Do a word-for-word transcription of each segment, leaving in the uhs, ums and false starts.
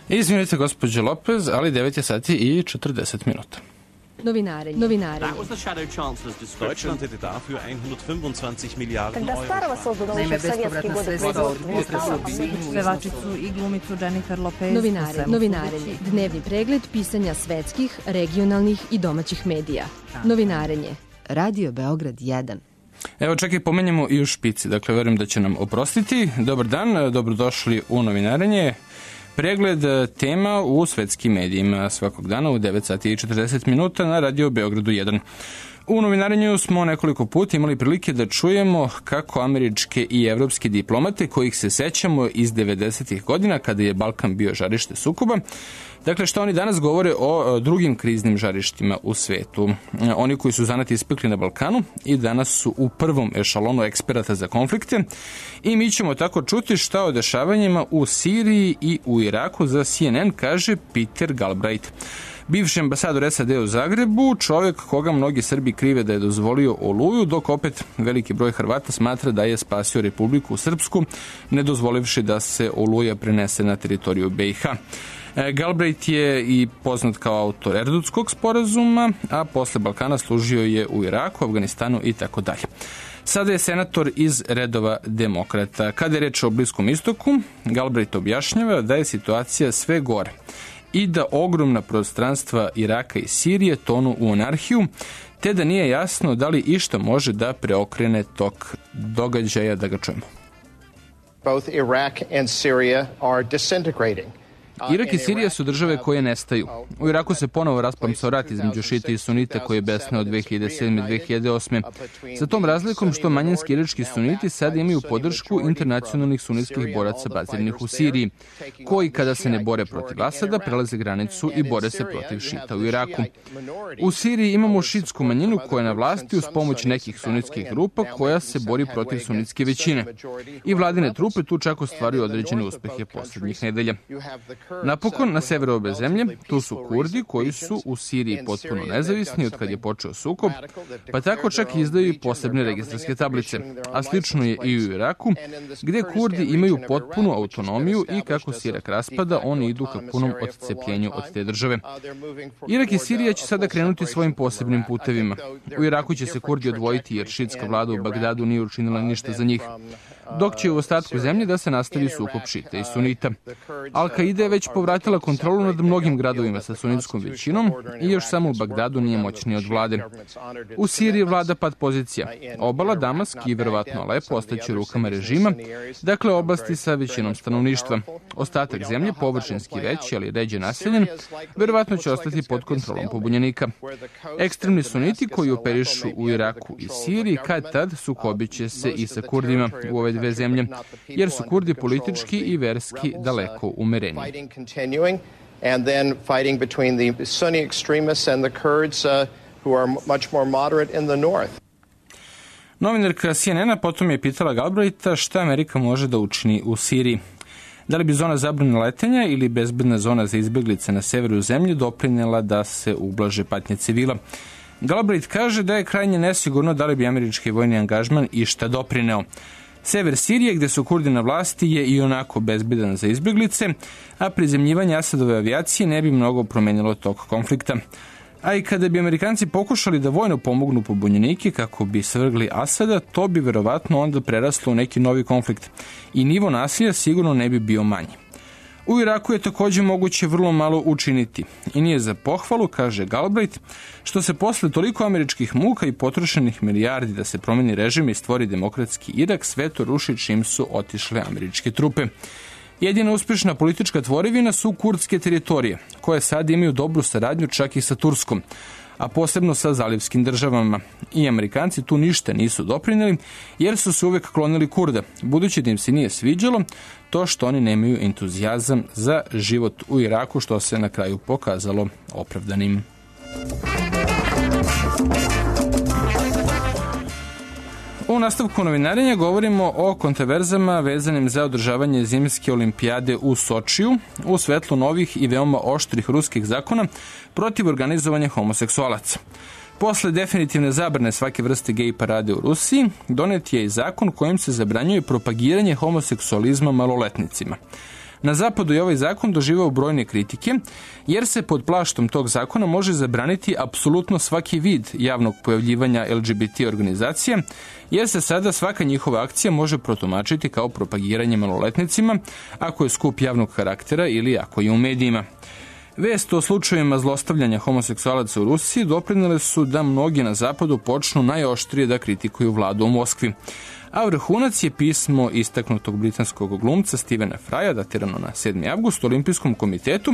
Izvinite, gospođo Lopez, ali devet je sati i četrdeset minuta. Novinarenje. Novinarenje. Deutschland hätte dafür hundertfünfundzwanzig Miliarden Euro. Naime, bespovratna sredstva od pevačicu i glumicu Jennifer Lopez. Novinarenje. Novinarenje. Dnevni pregled pisanja svetskih, regionalnih i domaćih medija. Novinarenje. Radio Beograd jedan. Evo, čekaj, pomenjamo i u špici. Dakle, verujem da će nam oprostiti. Dobar dan, dobrodošli u Novinarenje. Pregled tema u svetskim medijima svakog dana u devet sati i četrdeset minuta na Radio Beogradu jedan. U Novinarenju smo nekoliko puta imali prilike da čujemo kako američke i evropske diplomate, kojih se sećamo iz devedesetih godina kada je Balkan bio žarište sukoba, dakle što oni danas govore o drugim kriznim žarištima u svetu. Oni koji su zanat ispekli na Balkanu i danas su u prvom ešalonu eksperata za konflikte i mi ćemo tako čuti šta o dešavanjima u Siriji i u Iraku za C N N kaže Peter Galbraith. Bivši ambasador S A D u Zagrebu, čovjek koga mnogi Srbi krive da je dozvolio Oluju, dok opet veliki broj Hrvata smatra da je spasio Republiku Srpsku, ne dozvolivši da se Oluja prenese na teritoriju B i H. Galbraith je i poznat kao autor Erdutskog sporazuma, a posle Balkana služio je u Iraku, Afganistanu i tako dalje. Sada je senator iz redova demokrata. Kada je reč o Bliskom istoku, Galbraith objašnjava da je situacija sve gore i da ogromna prostranstva Iraka i Sirije tonu u anarhiju, te da nije jasno da li išta može da preokrene tok događaja. Da ga čujemo. Both Iraq and Syria are disintegrating. Irak i Sirija su države koje nestaju. U Iraku se ponovo rasplamsao rat između šita i sunita koji je besneo od dve hiljade sedme i dve hiljade osme. Sa tom razlikom što manjinski irački suniti sada imaju podršku internacionalnih sunitskih boraca baziranih u Siriji, koji kada se ne bore protiv Asada prelaze granicu i bore se protiv šita u Iraku. U Siriji imamo šitsku manjinu koja je na vlasti uz pomoć nekih sunitskih grupa koja se bori protiv sunitske većine. I vladine trupe tu čak ostvaruju određene uspehe posljednjih nedelja. Napokon, na severu obe zemlje, tu su Kurdi koji su u Siriji potpuno nezavisni od kad je počeo sukob, pa tako čak izdaju i posebne registarske tablice. A slično je i u Iraku, gdje Kurdi imaju potpunu autonomiju i kako se Irak raspada, oni idu ka punom odcepljenju od te države. Irak i Sirija će sada krenuti svojim posebnim putevima. U Iraku će se Kurdi odvojiti jer šitska vlada u Bagdadu nije učinila ništa za njih, dok će u ostatku zemlje da se nastavi sukob šita i sunita. Al-Qaida je već povratila kontrolu nad mnogim gradovima sa sunitskom većinom i još samo u Bagdadu nije moćniji od vlade. U Siriji vlada pad pozicija. Obala, Damask i verovatno Alepo ostaće u rukama režima, dakle oblasti sa većinom stanovništva. Ostatak zemlje, površinski veći, ali ređe naseljen, verovatno će ostati pod kontrolom pobunjenika. Ekstremni suniti koji operišu u Iraku i Siriji kad tad sukobit će se i sa Kurdima u ove dve zemlje, jer su Kurdi politički i verski daleko umereni. And then fighting between the Sunni extremists and the Kurds uh, who are much more moderate in the north. Novinarka C N N-a potom je pitala Galbraitha šta Amerika može da učini u Siriji. Da li bi zona zabrane letenja ili bezbedna zona za izbeglice na severu zemlje doprinela da se ublaže patnje civila? Galbraith kaže da je krajnje nesigurno da li bi američki vojni angažman išta doprineo. Sever Sirije, gde su Kurdi na vlasti, je i onako bezbedan za izbeglice, a prizemljivanje Asadove avijacije ne bi mnogo promenilo tok konflikta. A i kada bi Amerikanci pokušali da vojno pomognu pobunjenike kako bi svrgli Asada, to bi verovatno onda preraslo u neki novi konflikt i nivo nasilja sigurno ne bi bio manji. U Iraku je također moguće vrlo malo učiniti i nije za pohvalu, kaže Galbraith, što se posle toliko američkih muka i potrošenih milijardi da se promeni režim i stvori demokratski Irak, sve to ruši čim su otišle američke trupe. Jedina uspješna politička tvorevina su kurdske teritorije, koje sad imaju dobru saradnju čak i sa Turskom, a posebno sa zalivskim državama. I Amerikanci tu ništa nisu doprineli, jer su se uvek klonili Kurda, budući da im se nije sviđalo to što oni nemaju entuzijazam za život u Iraku, što se na kraju pokazalo opravdanim. U nastavku novinarenja govorimo o kontroverzama vezanim za održavanje zimske olimpijade u Sočiju u svetlu novih i veoma oštrih ruskih zakona protiv organizovanja homoseksualaca. Posle definitivne zabrane svake vrste gej parade u Rusiji, donet je i zakon kojim se zabranjuje propagiranje homoseksualizma maloletnicima. Na zapadu je ovaj zakon doživao brojne kritike, jer se pod plaštom tog zakona može zabraniti apsolutno svaki vid javnog pojavljivanja L G B T organizacija, jer se sada svaka njihova akcija može protumačiti kao propagiranje maloletnicima, ako je skup javnog karaktera ili ako je u medijima. Vest o slučajevima zlostavljanja homoseksualaca u Rusiji doprinele su da mnogi na zapadu počnu najoštrije da kritikuju vladu u Moskvi. A vrhunac je pismo istaknutog britanskog glumca Stevena Frya, datirano na sedmi avgust, Olimpijskom komitetu,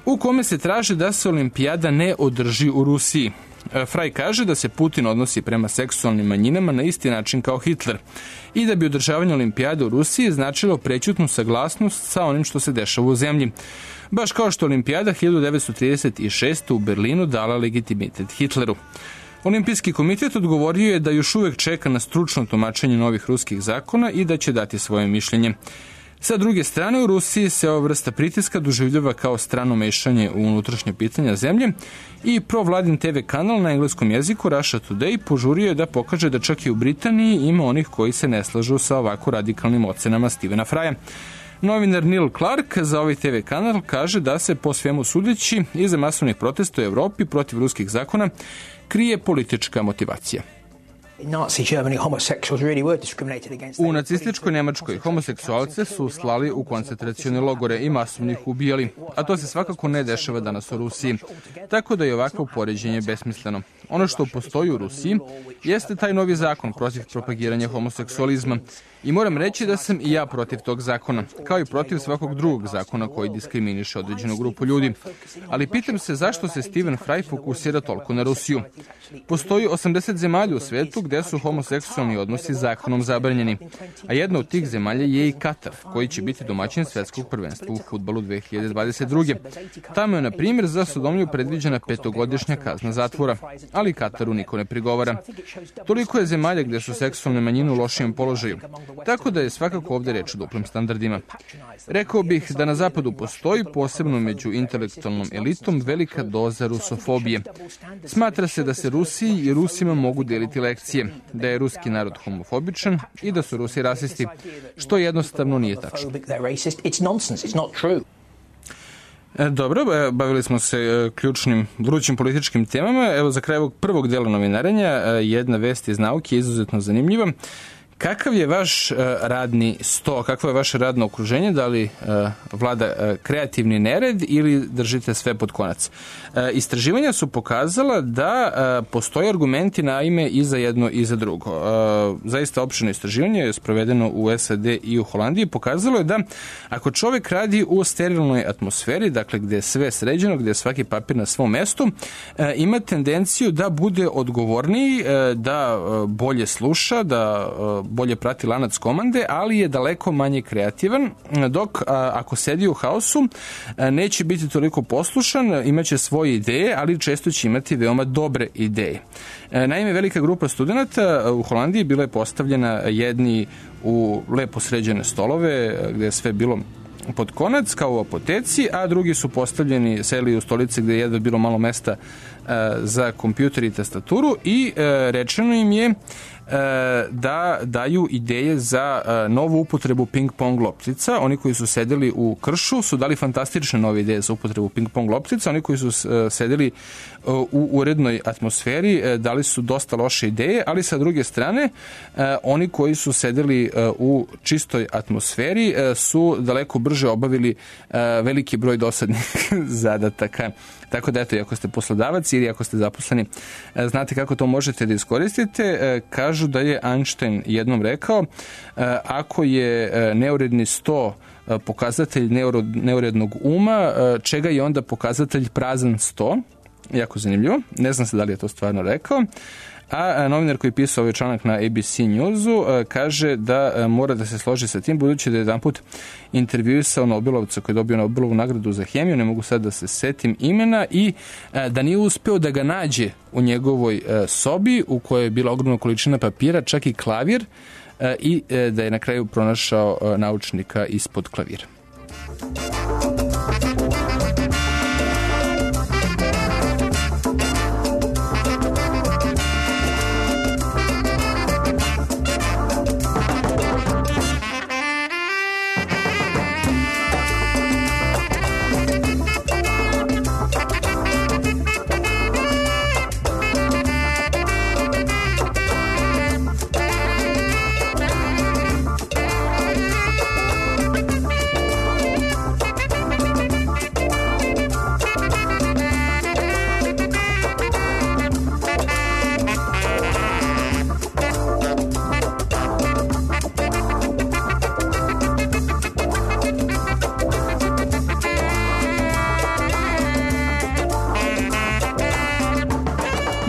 u kome se traži da se olimpijada ne održi u Rusiji. Fry kaže da se Putin odnosi prema seksualnim manjinama na isti način kao Hitler i da bi održavanje olimpijade u Rusiji značilo prećutnu saglasnost sa onim što se dešava u zemlji. Baš kao što olimpijada hiljadu devetsto trideset šeste. u Berlinu dala legitimitet Hitleru. Olimpijski komitet odgovorio je da još uvek čeka na stručno tumačenje novih ruskih zakona i da će dati svoje mišljenje. Sa druge strane, u Rusiji se ova vrsta pritiska doživljava kao strano mešanje u unutrašnje pitanja zemlje i provladin te ve kanal na engleskom jeziku Russia Today požurio je da pokaže da čak i u Britaniji ima onih koji se ne slažu sa ovako radikalnim ocenama Stevena Frya. Novinar Neil Clark za ovaj te ve kanal kaže da se po svemu sudeći iza masovnih protesta u Evropi protiv ruskih zakona krije politička motivacija. U nacističkoj Nemačkoj homoseksualce su slali u koncentracione logore i masovno ih ubijali, a to se svakako ne dešava danas u Rusiji, tako da je ovakvo poređenje besmisleno. Ono što postoji u Rusiji jeste taj novi zakon protiv propagiranja homoseksualizma i moram reći da sam i ja protiv tog zakona, kao i protiv svakog drugog zakona koji diskriminiše određenu grupu ljudi. Ali pitam se zašto se Steven Fry fokusira toliko na Rusiju. Postoji osamdeset zemalja u svetu gde su homoseksualni odnosi zakonom zabranjeni, a jedna od tih zemalja je i Katar, koji će biti domaćin svetskog prvenstva u fudbalu dve hiljade dvadeset druge. Tamo je, na primjer, za sodomiju predviđena petogodišnja kazna zatvora, ali Kataru niko ne prigovara. Toliko je zemalja gde su seksualne manjine u lošijem položaju, tako da je svakako ovde reč o duplim standardima. Rekao bih da na zapadu postoji, posebno među intelektualnom elitom, velika doza rusofobije. Smatra se da se Rusiji i Rusima mogu deliti lekcije, da je ruski narod homofobičan i da su Rusi rasisti, što jednostavno nije tačno. Dobro, bavili smo se ključnim, vrućim političkim temama. Evo, za kraj ovog prvog dela novinarenja jedna vest iz nauke je izuzetno zanimljiva. Kakav je vaš uh, radni sto, kakvo je vaše radno okruženje, da li uh, vlada uh, kreativni nered ili držite sve pod konac? Uh, istraživanja su pokazala da uh, postoje argumenti na ime i za jedno i za drugo. Uh, zaista opširno istraživanje je sprovedeno u S A D i u Holandiji, pokazalo je da ako čovjek radi u sterilnoj atmosferi, dakle gde je sve sređeno, gde je svaki papir na svom mestu, uh, ima tendenciju da bude odgovorniji, uh, da uh, bolje sluša, da uh, bolje prati lanac komande, ali je daleko manje kreativan, dok a, ako sedi u haosu a, neće biti toliko poslušan, imaće svoje ideje, ali često će imati veoma dobre ideje. A, naime, velika grupa studenta u Holandiji bila je postavljena jedni u lepo sređene stolove, gde je sve bilo pod konac, kao u apoteci, a drugi su postavljeni, seli u stolice gde je jedva bilo malo mesta a, za kompjuter i tastaturu i a, rečeno im je da daju ideje za novu upotrebu ping-pong loptica. Oni koji su sedeli u kršu su dali fantastične nove ideje za upotrebu ping-pong loptica. Oni koji su sedeli u urednoj atmosferi dali su dosta loše ideje, ali sa druge strane oni koji su sedeli u čistoj atmosferi su daleko brže obavili veliki broj dosadnih zadataka. Tako da, eto, ako ste poslodavac ili ako ste zaposleni, znate kako to možete da iskoristite. Kažu da je Einstein jednom rekao, ako je neuredni sto pokazatelj neurednog uma, čega je onda pokazatelj prazan sto? Jako zanimljivo. Ne znam se da li je to stvarno rekao. A novinar koji je pisao ovaj članak na A B C Newsu kaže da mora da se složi sa tim, budući da je jedan put intervjuisao Nobelovca koji je dobio Nobelovu nagradu za hemiju, ne mogu sad da se setim imena, i da nije uspeo da ga nađe u njegovoj sobi u kojoj je bila ogromna količina papira, čak i klavir, i da je na kraju pronašao naučnika ispod klavira.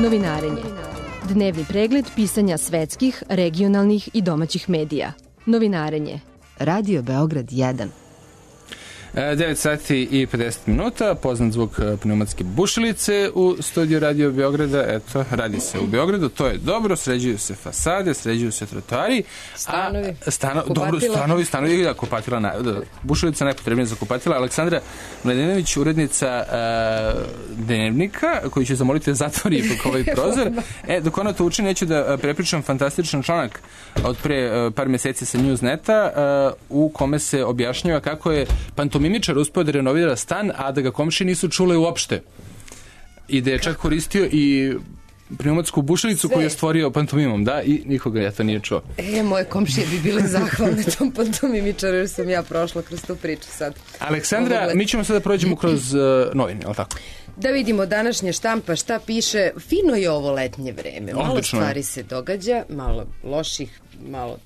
Novinarenje. Dnevni pregled pisanja svetskih, regionalnih i domaćih medija. Novinarenje. Radio Beograd jedan. devet sati i pedeset minuta, poznat zvuk pneumatske bušilice u studiju Radio Beograda. Eto, radi se u Beogradu, to je dobro, sređuju se fasade, sređuju se trotoari. Stanovi. A, stano, dobro, stanovi, stanovi, da, kupatila, na, da, bušilica najpotrebnija za kupatila. Aleksandra Mladenović, urednica uh, Dnevnika, koju ću zamoliti da zatvori ovaj prozor. E, dok ona to učini, neću da prepričam fantastičan članak od pre uh, par meseci sa Newsneta, uh, u kome se objašnjava kako je pantomimičar uspeo da renovira stan, a da ga komšije nisu čule uopšte. I da je čak koristio i pneumatsku bušilicu koju je stvorio pantomimom, da, i nikoga ja to nije čuo. E, moje komšije bi bile zahvalne tom pantomimičaru, jer sam ja prošla kroz tu priču sad. Aleksandra, mi ćemo sada prođemo kroz uh, novine, je li tako? Da vidimo današnje štampa šta piše. Fino je ovo letnje vreme. Malo Odlično. Stvari se događa, malo loših, malo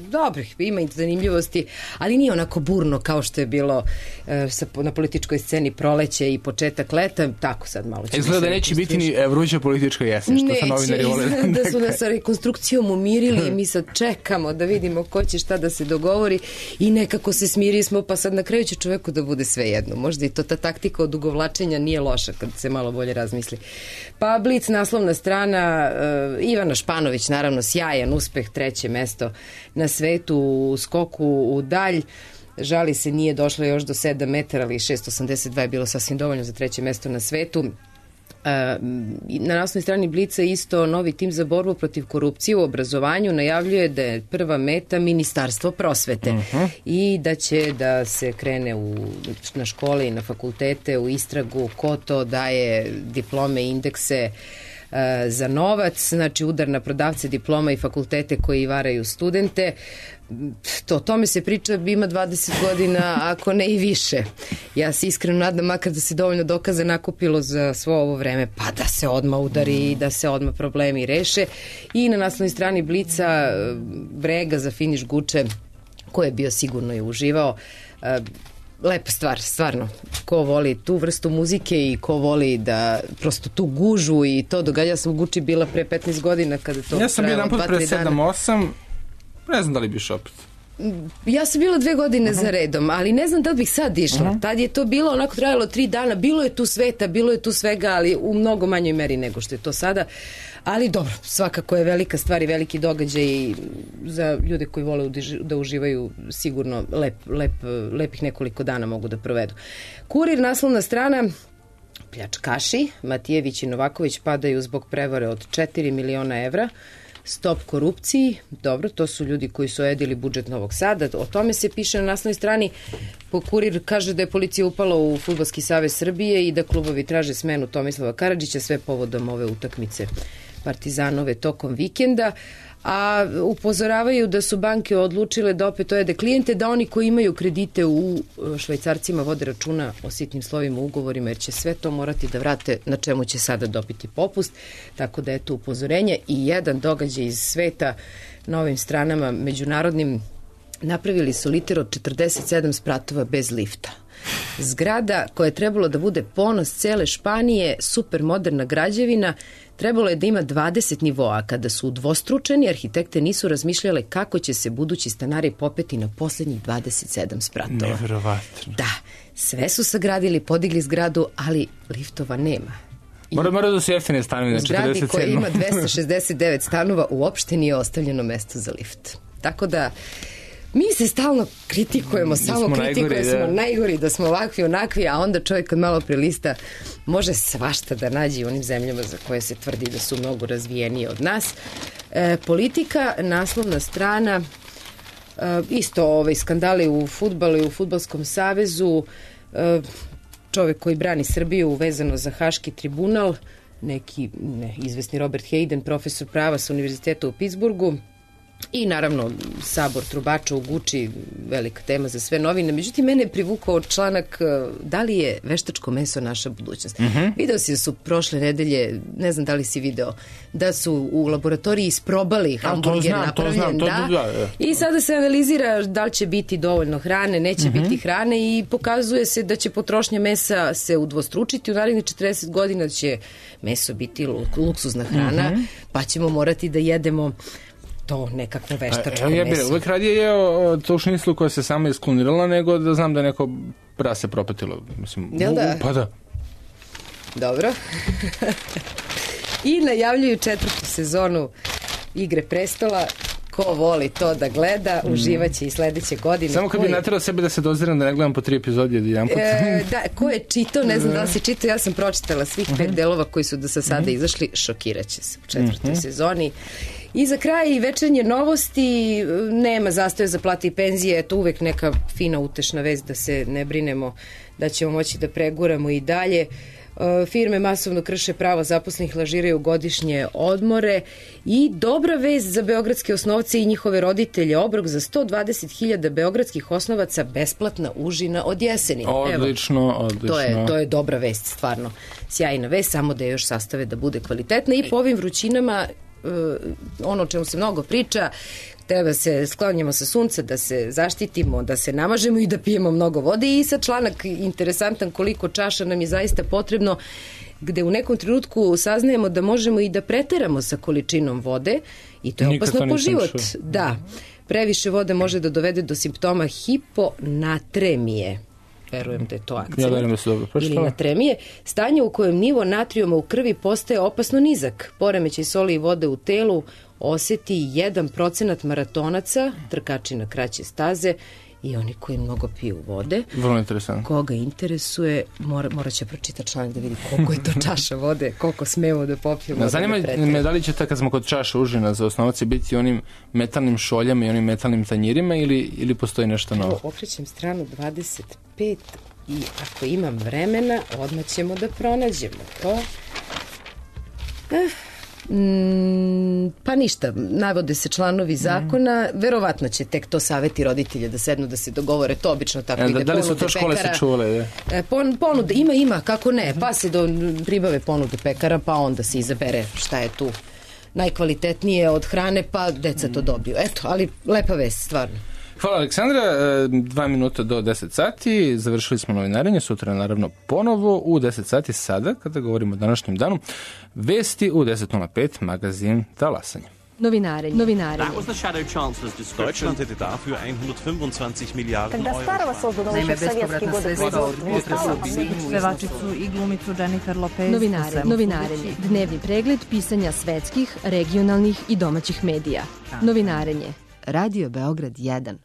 dobrih, ima i zanimljivosti, ali nije onako burno kao što je bilo e, sa, na političkoj sceni proleće i početak leta, tako sad malo će... Izgleda da neće biti ni vruća politička jesen, što sa novinari vole. Neće, da su nas sa rekonstrukcijom umirili i mi sad čekamo da vidimo ko će šta da se dogovori i nekako se smiri smo, pa sad na kraju će čoveku da bude sve jedno. Možda i to ta taktika odugovlačenja nije loša kad se malo bolje razmisli. Pa Blic, naslovna strana, e, Ivana Španović, naravno sjajan uspeh, treće mesto na svetu u skoku u dalj. Žali se, nije došlo još do sedam metara, ali šest osamdeset dva je bilo sasvim dovoljno za treće mesto na svetu. Na naslovnoj strani Blica isto novi tim za borbu protiv korupcije u obrazovanju najavljuje da je prva meta Ministarstvo prosvete uh-huh. i da će da se krene u, na škole i na fakultete u istragu ko to daje diplome, indekse za novac, znači udar na prodavce diploma i fakultete koji varaju studente. To, o tome se priča, ima dvadeset godina, ako ne i više. Ja se iskreno nadam, makar da se dovoljno dokaza nakupilo za svo ovo vreme, pa da se odmah udari i da se odmah problemi reše. I na naslovnoj strani Blica brega za finiš Guče, ko je bio sigurno i uživao. Lepa stvar, stvarno. Ko voli tu vrstu muzike i ko voli da prosto tu gužu i to događa. Ja sam u Guči bila pre petnaest godina kada to... Ja sam bio jedan put pre sedam osam, ne znam da li biš opet. Ja sam bila dve godine uh-huh. za redom, ali ne znam da li bih sad išla. Uh-huh. Tad je to bilo, onako trajalo tri dana, bilo je tu sveta, bilo je tu svega, ali u mnogo manjoj meri nego što je to sada. Ali dobro, svakako je velika stvar i veliki događaj i za ljude koji vole da uživaju sigurno lep, lep, lepih nekoliko dana mogu da provedu. Kurir, naslovna strana, pljačkaši, Matijević i Novaković padaju zbog prevare od četiri miliona evra. Stop korupciji, dobro, to su ljudi koji su ojedili budžet Novog Sada, o tome se piše na naslovnoj strani. Kurir kaže da je policija upala u Fudbalski savez Srbije i da klubovi traže smenu Tomislava Karadžića, sve povodom ove utakmice Partizanove tokom vikenda, a upozoravaju da su banke odlučile da opet ojede klijente, da oni koji imaju kredite u švajcarcima vode računa o sitnim slovima u ugovorima, jer će sve to morati da vrate, na čemu će sada dobiti popust, tako da je to upozorenje. I jedan događaj iz sveta na ovim stranama međunarodnim, napravili su liter od četrdeset sedam spratova bez lifta. Zgrada koja je trebalo da bude ponos cele Španije, super moderna građevina, trebalo je da ima dvadeset nivoa. Kada su udvostručeni, arhitekte nisu razmišljale kako će se budući stanari popeti na poslednjih dvadeset sedam spratova. Neverovatno. Da, sve su sagradili, podigli zgradu, ali liftova nema. Mora, mora da se jeftine stanovi na četrdeset sedam. U zgradi koja ima dvesta šezdeset devet stanova uopšte nije ostavljeno mesto za lift. Tako da mi se stalno kritikujemo, samo kritikujemo, smo najgori, da smo ovakvi, onakvi, a onda čovjek kad malo prelista može svašta da nađe u onim zemljama za koje se tvrdi da su mnogo razvijenije od nas. E, politika, naslovna strana, e, isto ovaj, skandali u fudbalu i u Fudbalskom savezu, e, čovjek koji brani Srbiju vezano za Haški tribunal, neki ne, izvesni Robert Hayden, profesor prava sa univerziteta u Pittsburghu, I naravno Sabor trubača u Guči, velika tema za sve novine. Međutim, mene je privukao članak da li je veštačko meso naša budućnost. Mm-hmm. Video si da su prošle nedelje, ne znam da li si video, da su u laboratoriji isprobali hamburger napravljen. To znam, to da, da, da. I sada se analizira da li će biti dovoljno hrane, neće mm-hmm. biti hrane i pokazuje se da će potrošnja mesa se udvostručiti. U narednih četrdeset godina će meso biti luksuzna hrana, mm-hmm. pa ćemo morati da jedemo to nekakvo veštačko meso. Ja bih uvek radije jeo to šniclu koja se sama isklonirala, nego da znam da je neko prase propatilo. Mislim, jel da? Pa da. Dobro. I najavljuju četvrtu sezonu Igre prestola. Ko voli to da gleda, uživaće i sledeće godine. Samo kad bi naterao sebe da se doziram da ne gledam po tri epizode od jedan put. E, da, ko je čitao, ne znam da li si čitao, ja sam pročitala svih pet uh-huh. delova koji su do sa sada uh-huh. izašli, šokiraće se u četvrtoj uh-huh. sezoni. I za kraj večernje novosti, nema zastoja za plate i penzije, eto uvek neka fina utešna vest da se ne brinemo da ćemo moći da preguramo i dalje. Firme masovno krše prava zaposlenih, lažiraju godišnje odmore i dobra vest za beogradske osnovce i njihove roditelje, obrok za sto dvadeset hiljada beogradskih osnovaca, besplatna užina od jeseni. Odlično, Evo, odlično. To je, to je dobra vest, stvarno. Sjajna vest, samo da je još sastave da bude kvalitetna i po ovim vrućinama ono o čemu se mnogo priča, treba se sklonjamo sa sunca, da se zaštitimo, da se namažemo i da pijemo mnogo vode. I sad članak interesantan koliko čaša nam je zaista potrebno, gde u nekom trenutku saznajemo da možemo i da preteramo sa količinom vode i to je Nikad opasno po život. Čuo. Da, previše vode može da dovede do simptoma hiponatremije. Verujem da je to akcija. Ja verujem da se dobro pročitala. Ili natremije. Stanje u kojem nivo natrijuma u krvi postaje opasno nizak. Poremećaj soli i vode u telu oseti jedan procenat maratonaca, trkači na kraće staze i oni koji mnogo piju vode. Vrlo interesantno. Koga interesuje, mora, mora će pročitati članak da vidi koliko je to čaša vode, koliko smemo da popijemo. Zanima me da li će ta, kad smo kod čaša užina za osnovac, biti onim metalnim šoljama i onim metalnim tanjirima ili, ili postoji nešto novo? Evo, okrećem stranu dvadeset pet i ako imam vremena, odmah ćemo da pronađemo to. Eh. Mm, pa ništa, navode se članovi zakona, mm. verovatno će tek to saveti roditelje da sednu da se dogovore, to obično tako e, ide. Da, da li su to škole pekara, se čule? E, pon, ponude, ima, ima, kako ne, pa se do, pribave ponude pekara, pa onda se izabere šta je tu najkvalitetnije od hrane, pa deca to dobiju. Eto, ali lepa vest, stvarno. Hvala Aleksandra, dva minuta do deset sati, završili smo novinarenje, sutra naravno ponovo u deset sati sada, kada govorimo o današnjem danu, vesti u deset nula pet, magazin Talasanje. Novinarenje. Novinarenje. That was the shadow chancellor's description. Deutschland hätte dafür hundertfünfundzwanzig Milliarden Euro. Naime, bespovratna sredstva od pevačicu i glumicu Jennifer Lopez. Novinarenje. Novinarenje. Dnevni pregled pisanja svetskih, regionalnih i domaćih medija. Novinarenje. Radio Beograd jedan.